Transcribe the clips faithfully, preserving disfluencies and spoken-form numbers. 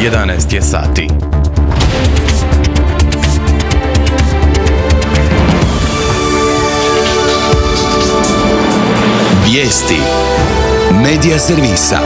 jedanaest je sati. Vijesti Medija servisa.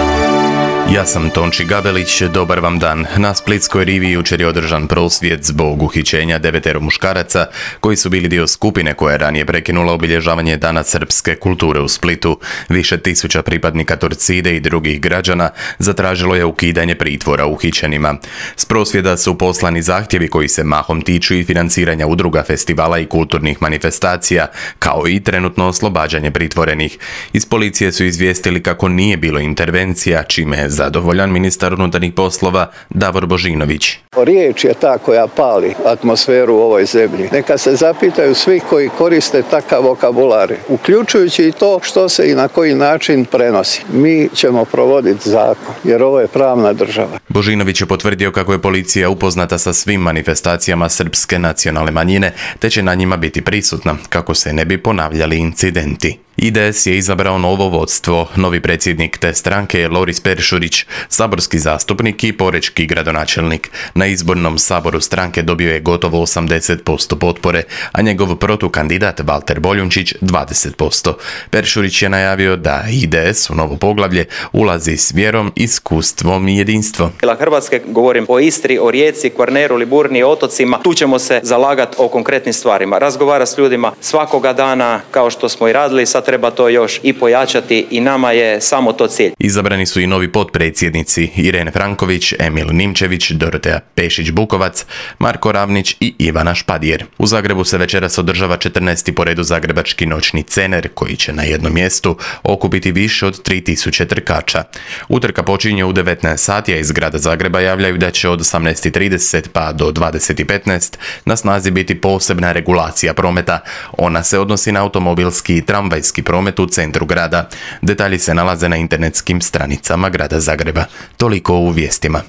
Ja sam Tonči Gabelić, dobar vam dan. Na Splitskoj rivi jučer je održan prosvjed zbog uhićenja devetero muškaraca koji su bili dio skupine koja je ranije prekinula obilježavanje Dana srpske kulture u Splitu. Više tisuća pripadnika Torcide i drugih građana zatražilo je ukidanje pritvora uhićenima. S prosvjeda su poslani zahtjevi koji se mahom tiču i financiranja udruga, festivala i kulturnih manifestacija, kao i trenutno oslobađanje pritvorenih. Iz policije su izvijestili kako nije bilo intervencija, čime je zadovoljan ministar unutarnjih poslova Davor Božinović. Riječ je ta koja pali atmosferu u ovoj zemlji. Neka se zapitaju svi koji koriste takav vokabular, uključujući i to što se i na koji način prenosi. Mi ćemo provoditi zakon, jer ovo je pravna država. Božinović je potvrdio kako je policija upoznata sa svim manifestacijama srpske nacionalne manjine, te će na njima biti prisutna kako se ne bi ponavljali incidenti. I D S je izabrao novo vodstvo. Novi predsjednik te stranke je Loris Peršurić, saborski zastupnik i porečki gradonačelnik. Na izbornom saboru stranke dobio je gotovo osamdeset posto potpore, a njegov protukandidat Valter Boljunčić dvadeset posto. Peršurić je najavio da I D S u novo poglavlje ulazi s vjerom, iskustvom i jedinstvom. Hrvatske, govorim o Istri, o Rijeci, Kvarneru, Liburniji, otocima. Tu ćemo se zalagati o konkretnim stvarima. Razgovara s ljudima svakoga dana, kao što smo i radili, sad treba to još i pojačati i nama je samo to cilj. Izabrani su i novi potpredsjednici Irene Franković, Emil Nimčević, Dorotea Pešić-Bukovac, Marko Ravnić i Ivana Špadijer. U Zagrebu se večeras održava četrnaesti po redu zagrebački noćni cener, koji će na jednom mjestu okupiti više od tri tisuće trkača. Utrka počinje u devetnaest sati, a iz grada Zagreba javljaju da će od osamnaest i trideset pa do dvadeset i petnaest na snazi biti posebna regulacija prometa. Ona se odnosi na automobilski i tramvajski promet u centru grada. Detalji se nalaze na internetskim stranicama grada Zagreba. Toliko u vijestima.